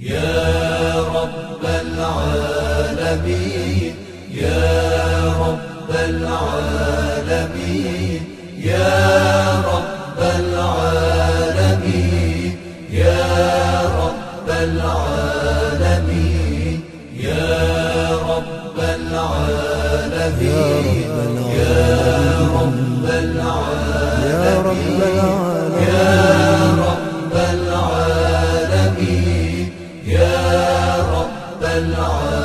يا رب العالمين يا رب العالمين يا رب العالمين يا رب العالمين يا رب العالمين يا رب العالمين يا رب العالمين يا رب العالمين.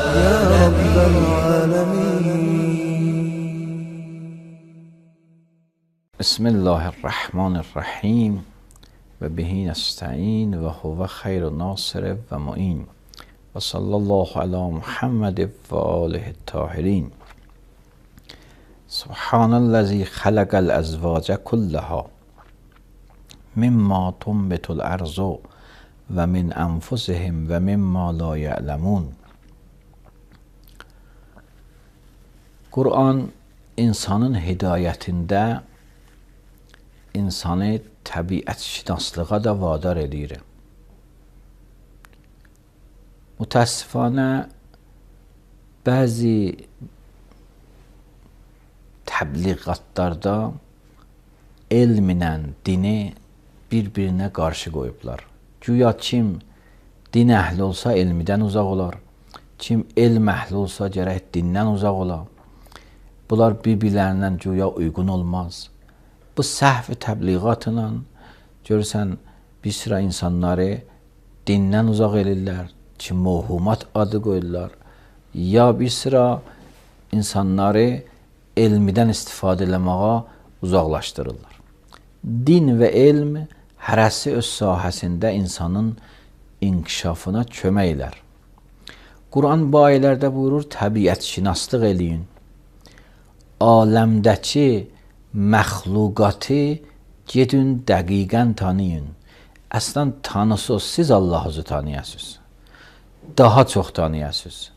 بسم الله الرحمن الرحیم و به نستعین و هو خیر ناصر و معین و صلی الله علی محمد و آله الطاهرین. سبحان الذی خلق الازواج كلها مما تنبت الارض و من انفسهم و مما لا یعلمون. Qur'an insanın hidayətində insanı təbiətşünaslığa da vadar edir. Mütəəssifanə bəzi təbliğatlarda elmlə dini bir-birinə qarşı qoyublar. Güya kim din əhli olsa elmidən uzaq olar, kim elm əhli olsa gərək dindən uzaq olar. Bunlar bir-birlərindən güya uyğun olmaz. Bu səhv təbliğatla görürsən bir sıra insanları dindən uzaq edirlər, ki mövhumat adı qoyurlar, ya bir sıra insanları elmidən istifadə eləməyə uzaqlaşdırırlar. Din və elm hərəsi öz sahəsində insanın inkişafına kömək elər. Qur'an bu ayələrdə buyurur, təbiətşünaslıq eləyin. Aləmdəki məxluqatı gedin dəqiqən tanıyın. Əslən tanısız, siz Allah'ı tanıyasınız. Daha çox tanıyasınız.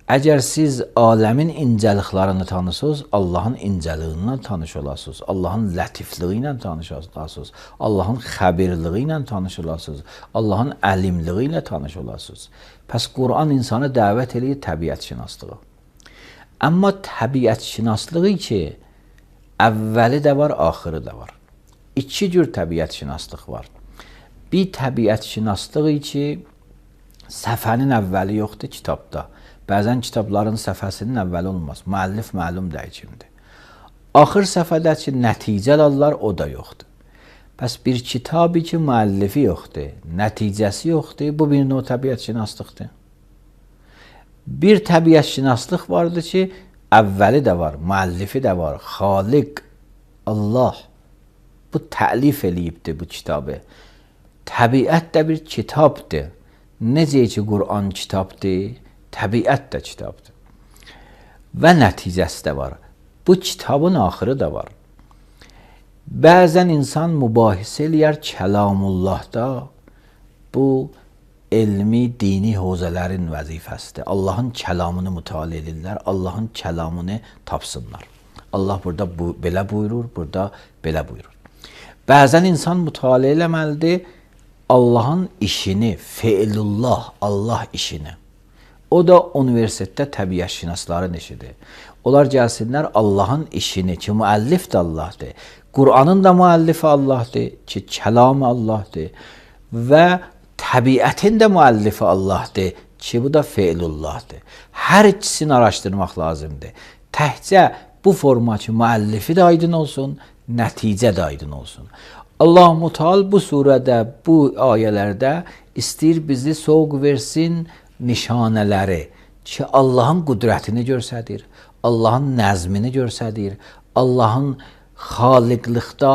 Əgər siz aləmin incəliklərini tanısınız, Allahın incəliyindən tanış olasınız. Allahın lətifliyi ilə tanış olasınız. Allahın xəbirliyi ilə tanış olasınız. Allahın əlimliyi ilə tanış olasınız. Pəs Qur'an insanı dəvət edir təbiətşünaslığa. Amma təbiətşünaslığı ki, əvvəli də var, axırı da var. İki cür təbiətşünaslıq var. Bir təbiətşünaslıq ki, səfənin əvvəli yoxdur kitabda. Bəzən kitabların səfəsinin əvvəli olmaz. Müəllif məlum deyil kimdir. Axır səfədə ki, nəticə alırlar, o da yoxdur. Bəs bir kitabı ki, müəllifi yoxdur, nəticəsi yoxdur, bu bir növ təbiətşünaslıqdır. Bir təbiətşünaslıq vardır ki, əvvəli də var, müəllifi də var, Xaliq, Allah. Bu təlif eləyibdir bu kitabı. Təbiət də bir kitabdır. Necə ki, Qur'an kitabdır, təbiət də kitabdır. Və nəticəsi də var. Bu kitabın axırı da var. Bəzən insan mübahisə eləyər kəlamullahda. Bu, elmi, dini hozələrin vəzifəsidir. Allahın kəlamını mütaliə edirlər, Allahın kəlamını tapsınlar. Allah burada belə buyurur, burada belə buyurur. Bəzən insan mütaliə eləməlidir Allahın işini, feilullah, Allah işini. O da universitetdə təbiətşünasların işidir. Onlar gəlsinlər Allahın işini ki, müəllif də Allahdır. Qur'anın da müəllifi Allahdır ki, kəlamı Allahdır. Və təbiətin də müəllifi Allahdır ki, bu da feilullahdır. Hər ikisini araşdırmaq lazımdır. Təhcə bu forma ki, müəllifi də aydın olsun, nəticə də aydın olsun. Allah Müteal bu surədə, bu ayələrdə istəyir bizi soğuk versin nişanələri ki, Allahın qüdrətini görsədir, Allahın nəzmini görsədir, Allahın xaliqlikdə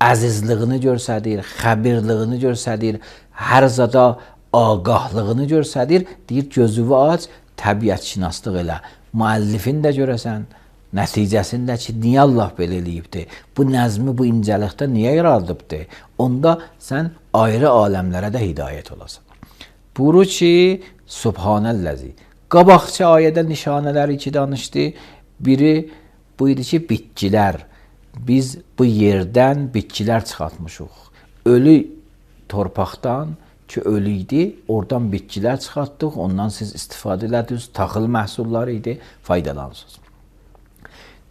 əzizliyini görsədir, xəbirliyini görsədir, hər zada ağahlığını görsədir, deyir gözünü aç, təbiətşünaslıq elə. Müəllifin də görəsən, nəticəsində ki, niyə Allah belə eləyibdir? Bu nəzmi, bu incəlikdə niyə yaradıbdır? Onda sən ayrı aləmlərə də hidayət olasan. Buyurur ki, Subhanəllazi. Qabaqçı ayədə nişanələri iki danışdı. Biri bu idi ki, bitkilər. Biz bu yerdən bitkilər çıxartmışıq. Ölü torpaqdan ki, ölü idi. Oradan bitkilər çıxartdıq, ondan siz istifadə elədiniz, taxıl məhsulları idi, faydalanırsınız.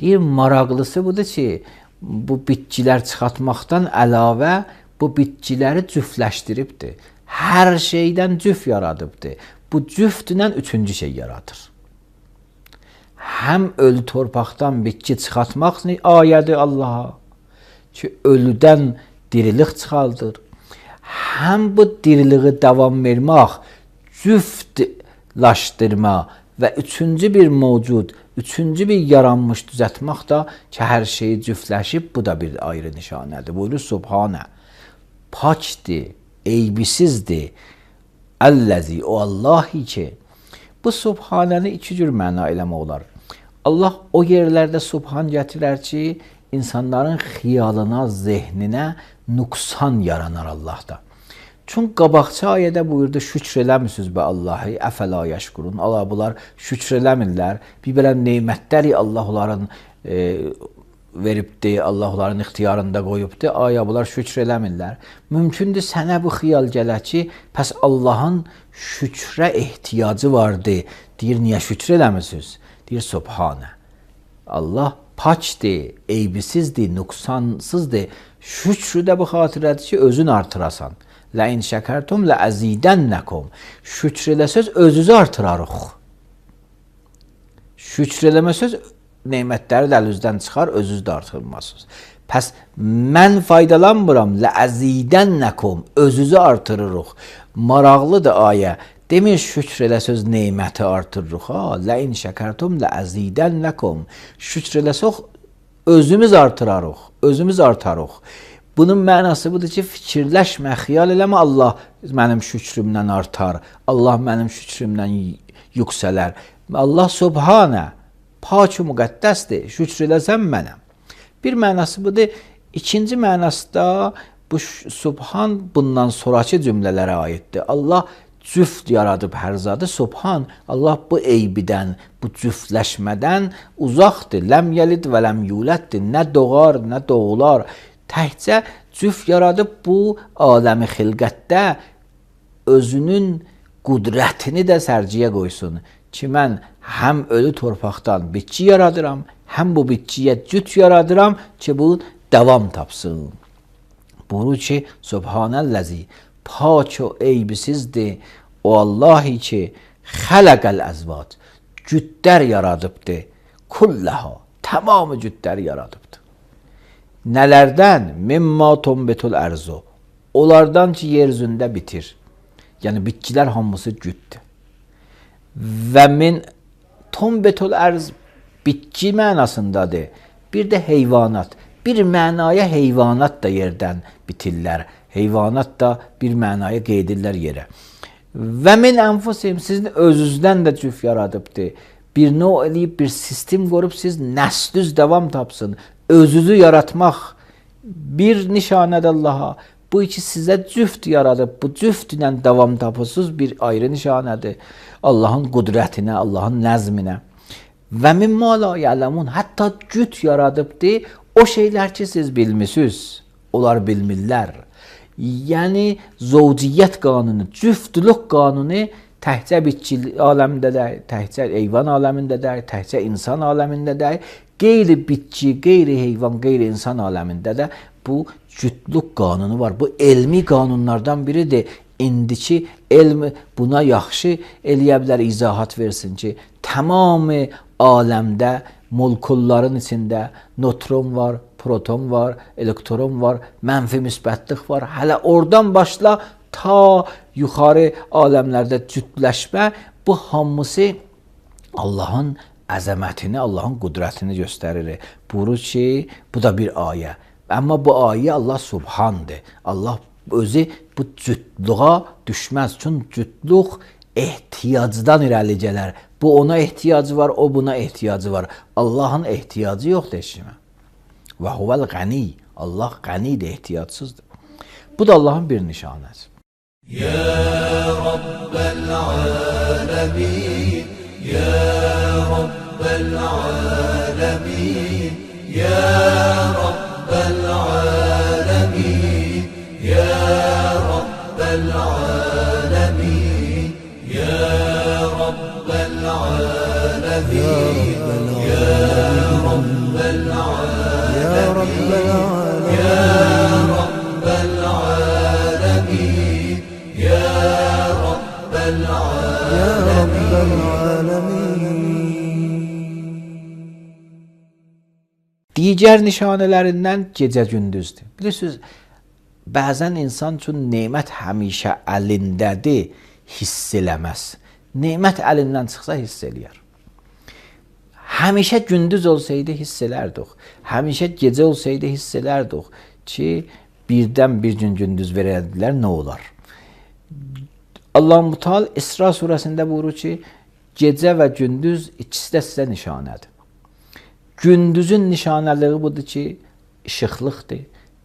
Deyir, maraqlısı budur ki, bu bitkilər çıxartmaqdan əlavə bu bitkiləri cüftləşdiribdir. Hər şeydən cüft yaradıbdır. Bu cüftlə üçüncü şey yaradır. Həm ölü torpaqdan bitki çıxartmaq ayədir Allaha ki, ölüdən dirilik çıxaldır. Həm bu diriliği davam vermək, cüftlaşdırma və üçüncü bir mövcud, üçüncü bir yaranmış düzəltmək da ki, hər şeyi cüftləşib, bu da bir ayrı nişanədir. Buyurur Subhanə, pakdir, eybisizdir. Əlləzi, o Allahi ki, bu Subhanəni iki cür məna eləmək olar. Allah o yerlərdə Subhan gətirər ki, insanların xiyalına, zehninə nüqsan yaranar Allahda. Çünki qabaqçı ayədə buyurdu, şükr eləmisiniz bə Allahı, əfəla yəşkurun. Allah bunlar şükr eləmirlər. Bir belə neymətləri Allah onların veribdir, Allah onların ixtiyarında qoyubdur. Aya bunlar şükr eləmirlər. Mümkündür sənə bu xiyal gələ ki, pəs Allahın şükrə ehtiyacı vardı. Deyir, niyə şükr eləmisiniz? Deyir, Subhanə. Allah pakdir, eybisizdir, nüqsansızdır. Şükrü də bu xatirədir ki, özün artırasan. Ləin şəkərtum ləəzidənnəkum. Şükr eləsəz, özünüzü artırarıq. Şükr eləməsəz, neymətləri də əlinizdən çıxar, özünüz də artırmazsınız. Pəs mən faydalanmıram, ləəzidənnəkum. Özünüzü artırırıq. Maraqlıdır ayə. Demir şükr eləsəz, neyməti artırırıq. Ləin şəkərtum ləəzidənnəkum. Şükr eləsəz, özümüz artırarıq. Özümüz artarıq. Bunun mənası budur ki, fikirləşmə, xiyal eləmə, Allah mənim şükrümdən artar, Allah mənim şükrümdən yüksələr. Allah Subhanə, pak-ı müqəddəsdir, şükr eləsəm mənəm. Bir mənası budur. İkinci mənası da bu Subhan bundan sonraki cümlələrə aiddir. Allah cüft yaradıb hər zadı. Subhan, Allah bu eybidən, bu cüftləşmədən uzaqdır. Ləm yəlid və ləm yuləddir. Nə doğar, nə doğular. Təhcə cüft yaradıb bu aləmi xilqətdə özünün qudrətini də sərciyə qoysun ki, mən həm ölü torpaqdan bitki yaradıram, həm bu bitkiyə cüt yaradıram ki, bu davam tapsın. Buyurur ki, Subhanəlləzi, pak o eybisizdir, o Allahi ki, xələqəl əzvac, cütlər yaradıbdır, kulləha, tamamı cütlər yaradıbdır. Nələrdən? Mimma tombetul ərzu. Onlardan ki, yer üzündə bitir. Yəni, bitkilər hamısı cütdür. Və min tombetul ərz bitki mənasındadır. Bir də heyvanat. Bir mənaya heyvanat da yerdən bitirlər. Heyvanat da bir mənaya qeydirlər yerə. Və min ənfusim, sizin özünüzdən də cüf yaradıbdır. Bir növ eləyib, bir sistem qorub, siz nəslüz davam tapsın. Özünüzü yaratmaq bir nişanədir Allaha. Bu iki sizə cüft yaradıb, bu cüft ilə davam tapısınız bir ayrı nişanədir. Allahın qudrətinə, Allahın nəzminə. Və mimma la ya'lemun, hətta cüt yaradıbdır. O şeylər ki, siz bilmisiniz, onlar bilmirlər. Yəni, zovciyyət qanunu, cüftlük qanunu təhcə bitki aləmindədir, təhcə heyvan aləmindədir, təhcə insan aləmindədir. Qeyri-bitki, qeyri-heyvan, qeyri-insan aləmində də bu cütlük qanunu var. Bu elmi qanunlardan biridir. İndiki elm buna yaxşı eləyə bilər, izahat versin ki, tamamı aləmdə, molkulların içində nötron var, proton var, elektron var, mənfi müsbətlik var. Hələ oradan başla ta yuxarı aləmlərdə cütləşmə, bu hamısı Allahın əzəmətini, Allahın qudrətini göstərir. Buyurur ki, bu da bir ayə. Amma bu ayə Allah Subhandır. Allah özü bu cütlüğa düşməz. Çünki cütlük ehtiyacdan irəli gələr. Bu ona ehtiyacı var, o buna ehtiyacı var. Allahın ehtiyacı yoxdur eşimə. Və huvəl qəni. Allah qənidir, ehtiyacsızdır. Bu da Allahın bir nişanəsi. Ya Rabbel alemin, Ya Rabbel alemin, Ya Rabbel alemin, Ya Rabbel alemin. العالمين يا رب العالمين يا رب العالمين يا رب العالمين. Digər nişanələrindən gecə gündüzdür. Bilirsiniz, bəzən insan üçün nemət həmişə əlindədir, hiss eləməz. Nemət əlindən çıxsa hiss eləyər. Həmişə gündüz olsaydı hiss elərdik. Həmişə gecə olsaydı hiss elərdik ki, birdən bir gün gündüz verərdilər, nə olar? Allah-u Teala İsra surəsində buyurur ki, gecə və gündüz ikisi də sizə nişanədir. Gündüzün nişanəliyi budur ki, işıqlıqdır.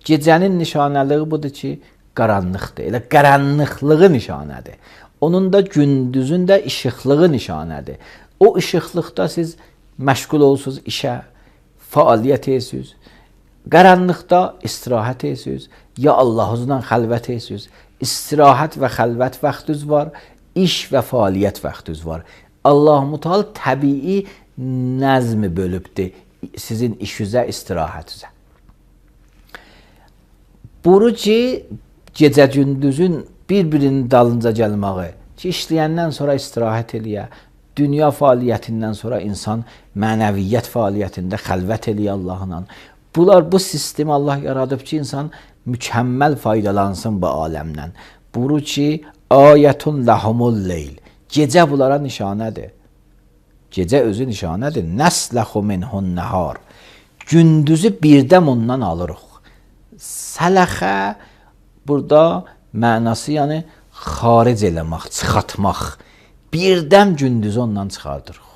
Gecənin nişanəliyi budur ki, qaranlıqdır. Elə qaranlıqlığı nişanədir. Onun da gündüzün də işıqlığı nişanədir. O işıqlıqda siz məşğul olsunuz işə, fəaliyyət edirsiniz. Qaranlıqda istirahət edirsiniz. Ya Allah'ınızla xəlvət edirsiniz. İstirahət və xəlvət vaxtınız var, iş və fəaliyyət vaxtınız var. Allah-u Teala təbii nəzmi bölübdür sizin işinizə, istirahətinizə. Buyurur ki, gecə gündüzün bir-birinin dalınca gəlməyi, ki, işləyəndən sonra istirahət eləyə, dünya fəaliyyətindən sonra insan mənəviyyət fəaliyyətində xəlvət eləyə Allahla. Bu sistemi Allah yaradıb ki, insan mükəmməl faydalansın bu aləmdən. Buyurur ki, ayətun lahumul leyl. Gecə bunlara nişanədir. Gecə özü nişanədir. Nəsləxu minhun nəhar. Gündüzü birdən ondan alırıq. Sələxə burada mənası yəni xaric eləmək, çıxartmaq. Birdən gündüzü ondan çıxardırıq.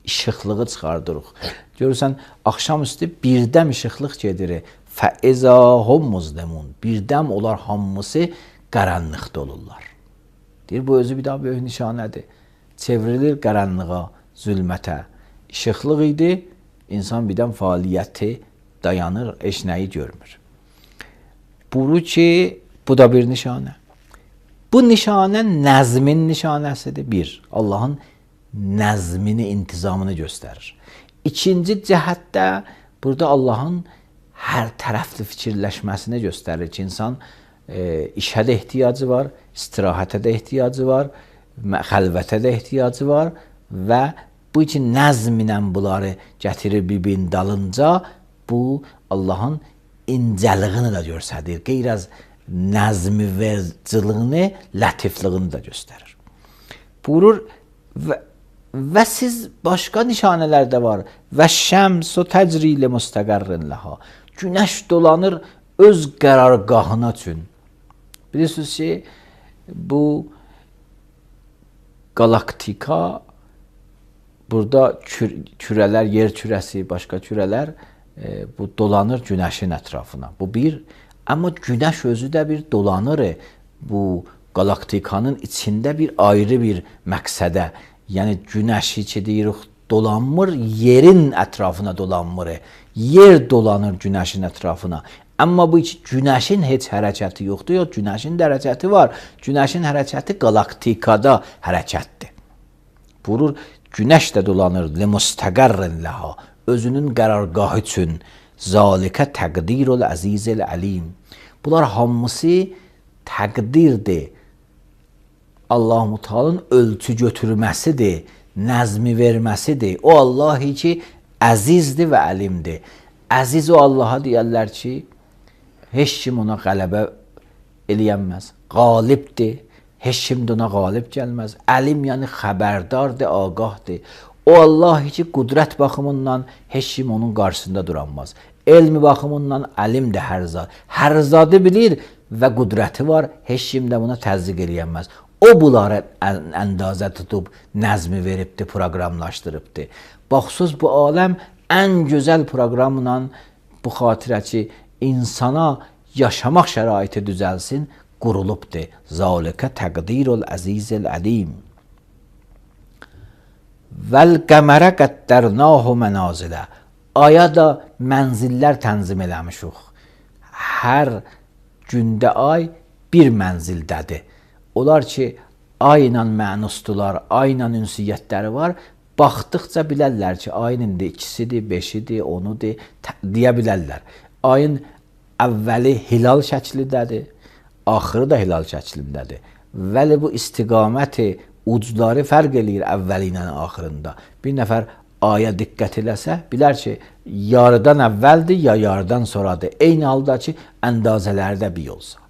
İşıqlığı çıxardırıq. Görürsən, axşamüstü birdən işıqlıq gedir. Fəizə hum muzlemun. Birdən onlar hamısı qaranlıqda olurlar. Deyir, bu özü bir daha böyük nişanədir. Çevrilir qaranlığa, zülmətə. İşıqlıq idi, insan birdən fəaliyyəti dayanır, heç nəyi görmür. Buyurur ki, bu da bir nişanə. Bu nişanə nəzmin nişanəsidir. Bir, Allahın nəzmini, intizamını göstərir. İkinci cəhətdə burada Allahın hər tərəfli fikirləşməsini göstərir ki, insan işə də ehtiyacı var, istirahətə də ehtiyacı var, xəlvətə də ehtiyacı var və bu üçün nəzminə bunları gətirir bir-birinin dalınca, bu Allahın incəliyini də göstərir. Qeyr az nəzmi vericiliyini, lətifliyini də göstərir. Buyurur və siz başqa nişanələr də var. Və şəmsu təcrili müstəqərrin ləha. Günəş dolanır öz qərargahına üçün. Bilirsiniz ki, bu galaktika, burada kürələr, yer kürəsi, başqa kürələr bu dolanır günəşin ətrafına. Bu bir. Amma günəş özü də bir dolanır bu galaktikanın içində bir ayrı bir məqsədə. Yəni günəşi ki deyirik dolanmır, yerin ətrafına dolanmır. Yer dolanır günəşin ətrafına. Amma bu günəşin heç hərəkəti yoxdur. Yox, günəşin də hərəkəti var. Günəşin hərəkəti galaktikada hərəkətdir. Buyurur, günəş də dolanır limustəqərrin ləha. Özünün qərargahı üçün. Zalikə təqdirul əzizil əlim. Bunlar hamısı təqdirdir. Allah-u Teala'nın ölçü götürməsidir, nəzmi verməsidir. O Allah ki, əzizdir və əlimdir. Əziz o Allaha deyərlər ki, heç kim ona qələbə eləyənməz. Qalibdir, heç kim də ona qalib gəlməz. Əlim yəni xəbərdardır, ağahdır. O Allah ki, qudrət baxımından heç kim onun qarşısında duranmaz. Elmi baxımından əlimdir hər zad. Hər zadı bilir və qudrəti var, heç kim də buna təzdiq eləyənməz. O bunları əndazə tutub, nəzmi veribdir, proqramlaşdırıbdır. Baxsız bu aləm ən gözəl proqramla bu xatirə ki, insana yaşamaq şəraiti düzəlsin, qurulubdur. Zalikə təqdirul əzizil əlim. Vəl-qəmərə qəddərnahu mənazilə. Aya da mənzillər tənzim eləmişik. Hər gündə ay bir mənzildədir. Onlar ki, ayla mənusdular, ayla ünsiyyətləri var, Baxdıqca bilərlər ki, ayın indi 2-sidir, 5-idir, 10-udur deyə bilərlər. Ayın əvvəli hilal şəklindədir, axırı da hilal şəklindədir. Vəli bu istiqaməti ucları fərq eləyir əvvəli ilə axırında. Bir nəfər aya diqqət eləsə, bilər ki, yarıdan əvvəldir ya yarıdan sonradır. Eyni halda ki, əndazələrdə bir olsa.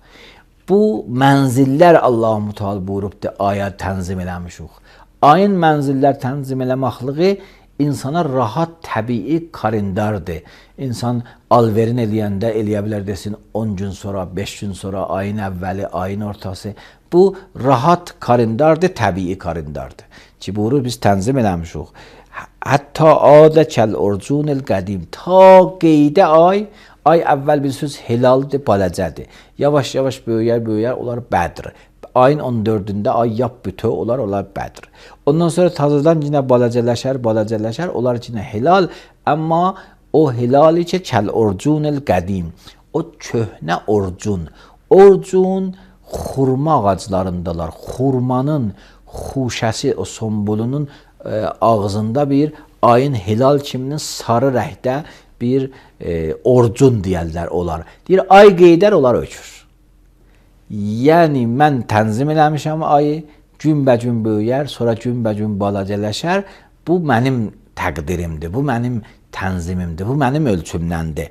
Bu mənzillər Allah-u Teala buyurubdur, aya tənzim eləmişik. Ayın mənzillər tənzim eləməklığı insana rahat, təbii kalendardır. İnsan alverin eləyəndə eləyə bilər desin 10 gün sonra, 5 gün sonra, ayın əvvəli, ayın ortası. Bu rahat kalendardır, təbii kalendardır. Ki buyurur biz tənzim eləmişik. Hətta adə kəl urcunil qədim. Ta qeydə ay əvvəl bilirsiniz hilaldır, balacədir. Yavaş-yavaş böyüyər, onlar Bədr. Ayın 14-də ay yap bütöv olar, onlar Bədr. Ondan sonra tazadan yine balacələşər, onlar yine hilal. Amma o hilali ki kəl urcunil qədim. O köhnə orcun. Orcun xurma ağaclarındalar. Xurmanın xuşəsi, o sombulunun ağzında bir ayın hilal kiminin sarı rəhdə bir orcun deyərlər olar. Deyir, ay qeydər, onlar ökür. Yəni, mən tənzim eləmişəm ayı, günbəcün böyüyər, sonra günbəcün balacələşər. Bu mənim təqdirimdir, bu mənim tənzimimdir, bu mənim ölçümdəndir.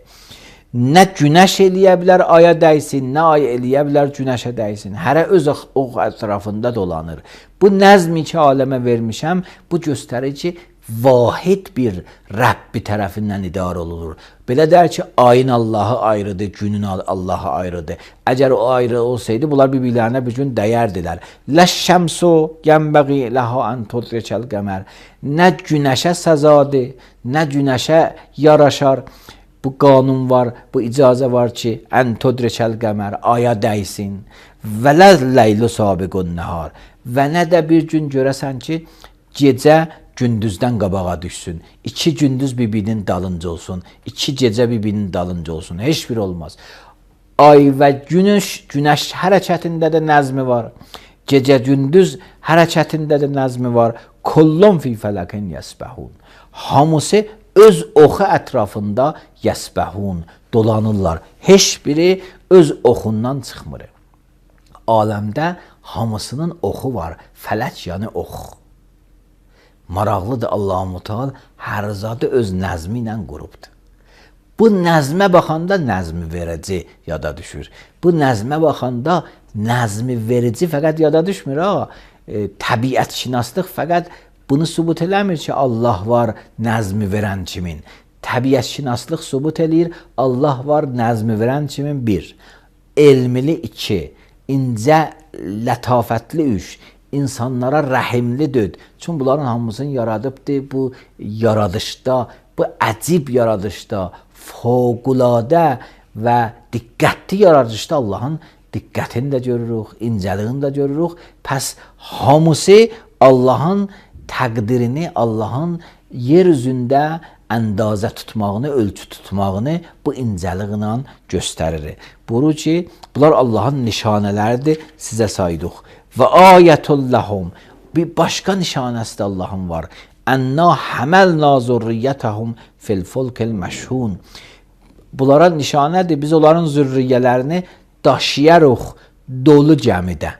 Nə günəş eləyə bilər aya dəysin, nə ay eləyə bilər günəşə dəysin. Hərə öz ox ətrafında dolanır. Bu nəzmi ki, aləmə vermişəm, bu göstərir ki, vahid bir Rəbbi tərəfindən idarə olunur. Belə der ki, ayın Allahı ayrıdır, günün Allahı ayrıdır. Əgər o ayrı olsaydı, bunlar bir-birlərinə bir gün dəyərdilər. Ləşşəmsu yənbəği ləhə ən tudrikəl qəmər. Nə günəşə səzadır, nə günəşə yaraşar. Bu qanun var, bu icazə var ki, ən tudrikəl qəmər, aya dəysin. Və ləylu sabiqun nəhar. Və nə də bir gün görəsən ki, gecə gündüzdən qabağa düşsün. 2 gündüz bir-birinin dalınca olsun. 2 gecə bir-birinin dalınca olsun. Heç bir olmaz. Ay və günəş hərəkətində də nəzmi var. Gecə gündüz hərəkətində də nəzmi var. Kullun fi fələkin yəsbəhun. Hamısı öz oxu ətrafında yəsbəhun, dolanırlar. Heç biri öz oxundan çıxmır. Aləmdə hamısının oxu var. Fələk yəni ox. Maraqlıdır, Allah-u Teala hər zadı öz nəzmi ilə qurubdur. Bu nəzmə baxanda nəzmi verici yada düşür. Bu nəzmə baxanda nəzmi verici fəqət yada düşmür. Təbiətşünaslıq fəqət bunu sübut eləmir ki, Allah var nəzmi verən kimin. Təbiətşünaslıq sübut eləyir, Allah var nəzmi verən kimin 1. Elmili 2. İncə, lətafətli 3. İnsanlara rəhimli 4. Çünki bunların hamısını yaradıbdır. Bu yaradışda, bu əcib yaradışda, fövqüladə və diqqətli yaradışda Allahın diqqətini də görürük, incəliyini də görürük. Pəs hamısı Allahın təqdirini, Allahın yer üzündə əndazə tutmağını, ölçü tutmağını bu incəliklə göstərir. Buyurur ki, bunlar Allahın nişanələridir, sizə saydıq. Və ayətun ləhum, bir başqa nişanəsi də Allahın var. Ənna həməlna zürriyyətəhum fil fulkil məşhun. Bunlara nişanədir, biz onların zürriyyələrini daşıyarıq dolu gəmidə.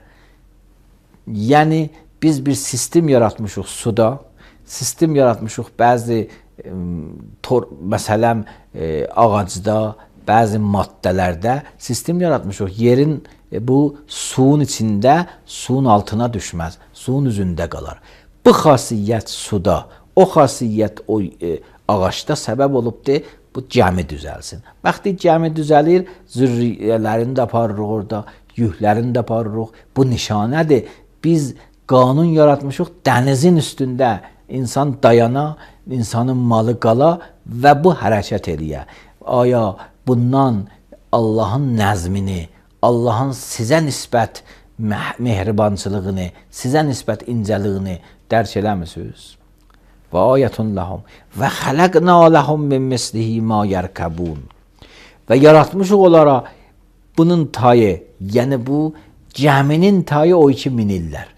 Yəni, biz bir sistem yaratmışıq suda, sistem yaratmışıq bəzi məsələn ağacda, bəzi maddələrdə sistem yaratmışıq. Yerin bu suyun içində, suyun altına düşməz, suyun üzündə qalar. Bu xasiyyət suda, o xasiyyət o ağaçda səbəb olubdur, bu gəmi düzəlsin. Vaxtı gəmi düzəlir, zürriyyələrini də aparırıq orada, yüklərini də aparırıq. Bu nişanədir. Biz qanun yaratmışıq dənizin üstündə. İnsan dayana, insanın malı qala və bu hərəkət eləyə. Aya bundan Allahın nəzmini, Allahın sizə nisbət mehribançılığını, sizə nisbət incəliyini dərk eləmisiniz? Və ayətun ləhum və xələqnə ləhum min mislihi ma yərkəbun. Və yaratmışıq onlara bunun tayı, yəni bu gəminin tayı o ki minirlər.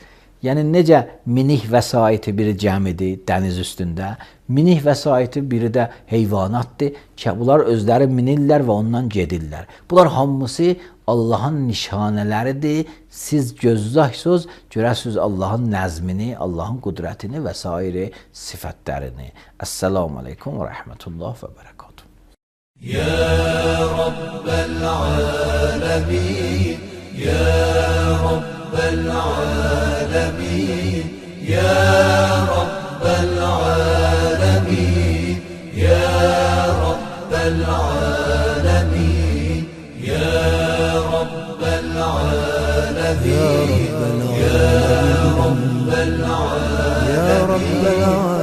Yəni necə minik vəsaiti biri gəmidir dəniz üstündə, minik vəsaiti biri də heyvanatdır ki, bunlar özləri minirlər və ondan gedirlər. Bunlar hamısı Allahın nişanələridir. Siz gözləksiniz, görəsiniz Allahın nəzmini, Allahın qüdrətini və sair sifətlərini. Əssalamu aleykum və rəhmətullah və bərəkatuhu. Ya Rabbel alemin, Ya Rabbel alemin, Ya Rabbel alemin, Ya Rabbel alemin, Ya Rabbel alemin, Ya Rabbel alemin, Ya Rabbel alemin.